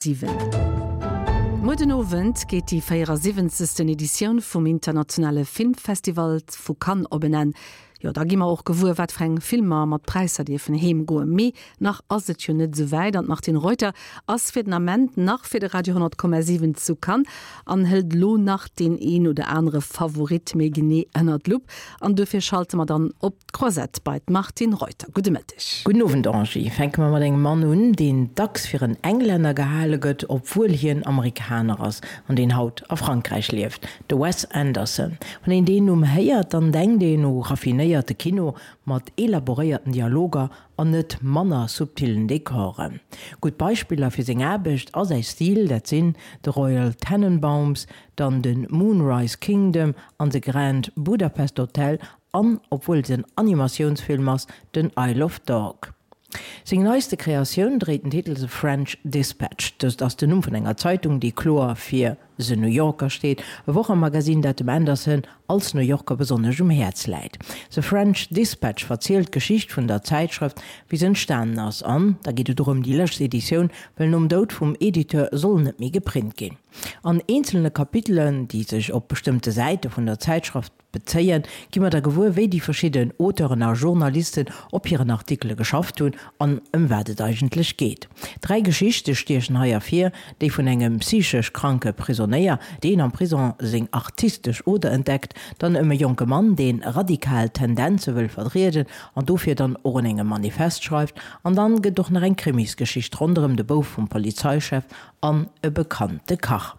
7. Muer den Owend geet déi 74. Editioun vum internationale Filmfestival vu Cannes op en Enn. Jo, da gi mer och gewuer, wat fir eng Filmer mat Präisser dierfen heem goen. Mee nach ass et jo net esou wäit an d'Martine Reuter ass fir den Ament nach fir de Radio 100,7 zu Cannes an hëlt elo nach deen een oder anere Favorit méi genee ënner d'Lupp. An duerfir schalte mer dann op D'Croisette bei d'Martine Reuter. Gudde Mëtteg. Gudden Owend Angie. Fänke mer mat engem Mann un, deen dacks fir en Englänner gehale gëtt, obwuel hien Amerikaner ass an deen haut a Frankräich lieft, de Wes Anderson. Wann een deen Numm héiert, dann denkt een u raffinéierte Kino mat elaboréierten Dialoger an net manner subtillen Dekoren. Gutt Beispiller fir seng Aarbecht a säi Stil, dat sinn The Royal Tenenbaums, dann de Moonrise Kingdom an The Grand Budapest Hotel an, obwuel et en Animatiounsfilm ass, den Isle of Dog. Seng neiste Kreatioun dréit den Titel The French Dispatch. Dëst ass den Numm vun enger Zeitung, déi kloer fir The New Yorker steet, e Wochemagazin, dat dem Anderson als New Yorker besonnesch um Häerz läit. The French Dispatch verzielt d'Geschicht vun der Zäitschrëft, wéi se entstanen ass, an da geet et och ëm déi lëscht Editioun, well nom Doud vum Editeur soll net méi geprint ginn. An eenzelne Kapitelen, déi sech op bestëmmte Säite vun der Zäitschrëft Bezéien, gi mer da gewuer, wéi déi verschidden Auteuren a Journalisten op hiren Artikele geschafft hunn an ëm wat et eigentlech geet. Dräi Geschichte stiechen hei ervir, déi vun engem psychesch kranke Prisonéier, deen am Prison seng artistesch Oder entdeckt, dann ëm e jonke Mann, dee radikal Tendenze wëll vertrieden an dofir dann och un engem Manifest schreift, an dann gëtt och nach eng Krimisgeschicht ronderëm de Bouf vum Polizeichef an e bekannte Kach.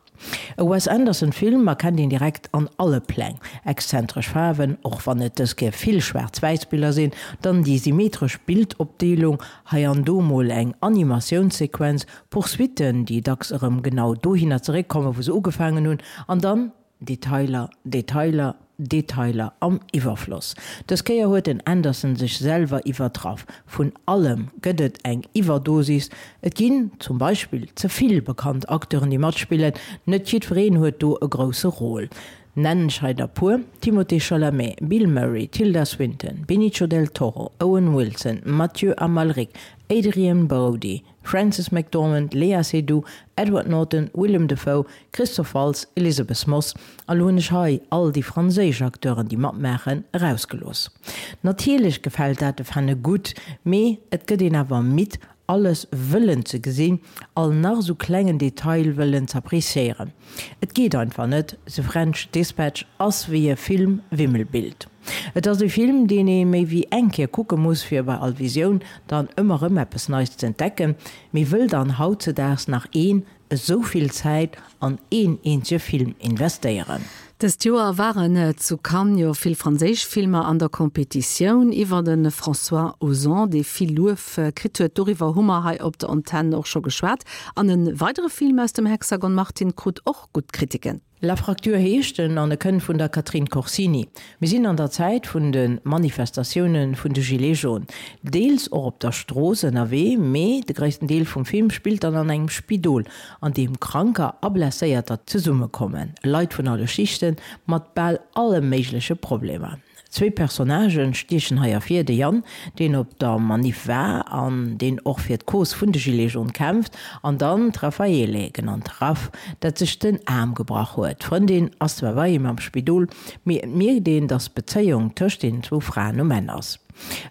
E Wes Anderson Film erkennt een direkt an alle Pläng. Exzentresch Faarwen, och wann et dës Kéier vill schwaarz-wäiss Biller sinn, dann déi symmetresch Bildopdeelung, hei an do mol eng Animatiounssequenz, Poursuitten, déi dacks erëm genau dohinner zeréckkommen, wou se ugefaangen hunn, an dann Detailer, Detailer, Detailer am Iwwerfloss. Dës Kéier huet den Anderson sech selwer iwwertraff. Vun allem gëtt et eng Iwwerdosis. Et ginn zum Beispill ze vill bekannt Acteuren déi matspillen. Net jiddwereen huet do e grousse Rôle. Nennen ech hei der puer, Timothée Chalamet, Bill Murray, Tilda Swinton, Benicio del Toro, Owen Wilson, Mathieu Amalric, Adrien Brody, Frances McDormand, Léa Seydoux, Edward Norton, Willem Dafoe, Christoph Waltz, Elisabeth Moss, a lo hunn ech hei all déi franséisch Acteuren, déi matmaachen, erausgelooss. Natierlech gefält dat de Fanne gutt, mee et gëtt een awer midd, alles wëllen ze gesinn, all nach esou klengen Detail wëllen z'appréciéieren. Et geet einfach net, The French Dispatch ass wéi e Film-Wimmelbild. Et ass e Film, deen ee méi wéi eng Kéier kucke muss, fir bei all Visioun dann ëmmer rëm eppes Neis z'entdecken. Mee wëll dann hautzedaags nach een esou vill Zäit an een eenzege Film investéieren? Dëst Joer waren zu Cannes jo vill franséisch Filmer an der Competitioun. Iwwer de François Ozon, dee vill Luef kritt huet, doriwwer hu mer hei op der Antenn och scho geschwat. An e weidere Film aus dem Hexagon Martin krut och gutt Kritiken. La Fracture heescht en an e kënnt vun der Catherine Corsini. Mir sinn an der Zäit vun de Manifestatioune vun de Gilets jaunes. Deels och op der Strooss ënnerwee, mee de gréissten Deel vum Film spillt dann an engem Spidol, an deem Kranker a Blesséierter zesummekommen. Leit vun alle Schichten, mat bal alle méigleche Problemer. Zwee Personnagen stiechen hei ervir, de Yann, deen op der Maniff war an deen och fir d'Cause vun de Gilets jaunes kämpft, an dann d'Raffaele, genannt Raff, dat sech den Aarm gebrach huet. D'Frëndin ass zwar bei him am Spidol, mee et mierkt een, datt d'Bezéiung tëscht deenen zwou Fraen um Enn ass.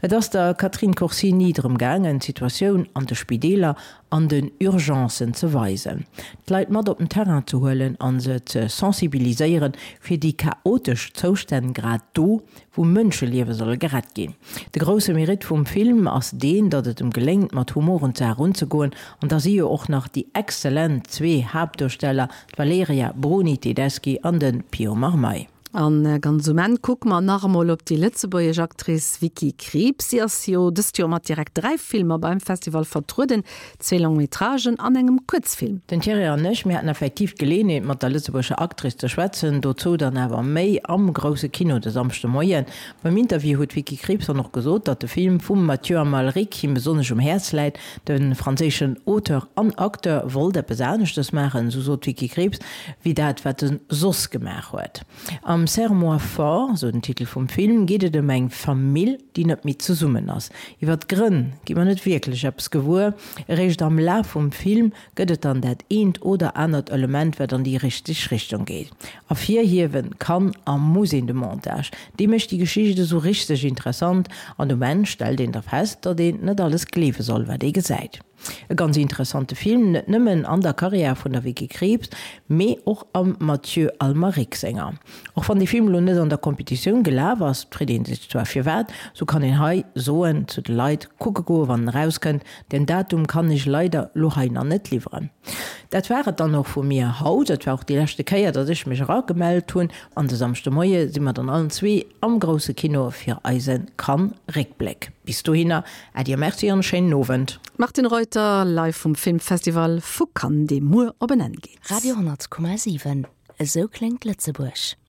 Et ass der Catherine Corsini drëm gaangen, d'Situatioun an de Spideeler an den Urgencen ze weisen, d'Leit mat op den Terrain ze huelen a se ze sensibiliséieren fir déi chaotesch Zoustänn grad do, wou Mënscheliewe solle gerett ginn. De grousse Mérite vum Film ass deen, datt et em geléngt, mat Humor un d'Saach erunzegoen an da si jo och nach déi exzellent zwee Haaptduersteller, d'Valeria Bruni Tedeschi an de Pio Marmaï. An ganz um Enn kucke mer nach emol op déi lëtzebuergesch Actrice Vicky Krieps. Si ass jo dëst Joer mat direkt 3 Filmer beim Festival vertrueden, zwee Long-métragen an engem Kuerzfilm. Den Thierry an ech, mir haten effektiv d'Geleeënheet mat der lëtzebuergescher Actrice ze schwätzen, dozou dann awer méi am grousse Kino de Samschde Moien. Beim Interview huet d'Vicky Krieps dann och gesot, datt de Film vum Mathieu Amalric him besonnesch um Häerz läit. De franséischen Auteur an Acteur wollt eppes aneschtes maachen, esou sot d'Vicky Krieps, wéi dat, wat e soss gemaach huet. Am. Am Serre-moi fort, esou den Titel vum Film, geet et ëm eng Famill, déi net méi zesummen ass. Iwwer d'Grënn gi mer net wierklech eppes gewuer. Eréischt am Laf vum Film gëtt et dann dat eent oder anert Element, wat an déi richteg Richtung geet. Ervirhiewen kann a muss een de Montage. Dee mécht déi Geschicht esou richteg interessant an um Enn stellt een da fest, datt een net alles gleewe soll, wat ee gesäit. E ganz interessante Film, net nëmmen an der Karriär vun der Vicky Krieps, mee och am Mathieu Almaric senger. Och wann dee Film elo net an der Competitioun gelaf ass, et freet ee sech zwar firwat, sou kann een hei soen zu de Leit, kucke goe wann en erauskënnt, Den Datum kann ech leider lo hei nach net liwweren. Dat war et dann och vu mir haut. Et war och déi leschte Kéier, datt ech mech eragemellt hunn. An de Samschdemoie si mer dann allen zwee am grousse Kino fir eise Cannes-Réckbléck. Bis dohinner, Äddi a Merci an e schéinen Owend. Martine Reuter live vum Filmfestival vu Cannes, dee muer op en Enn geet. Radio 10,7, Esou kléngt Lëtzebuerg.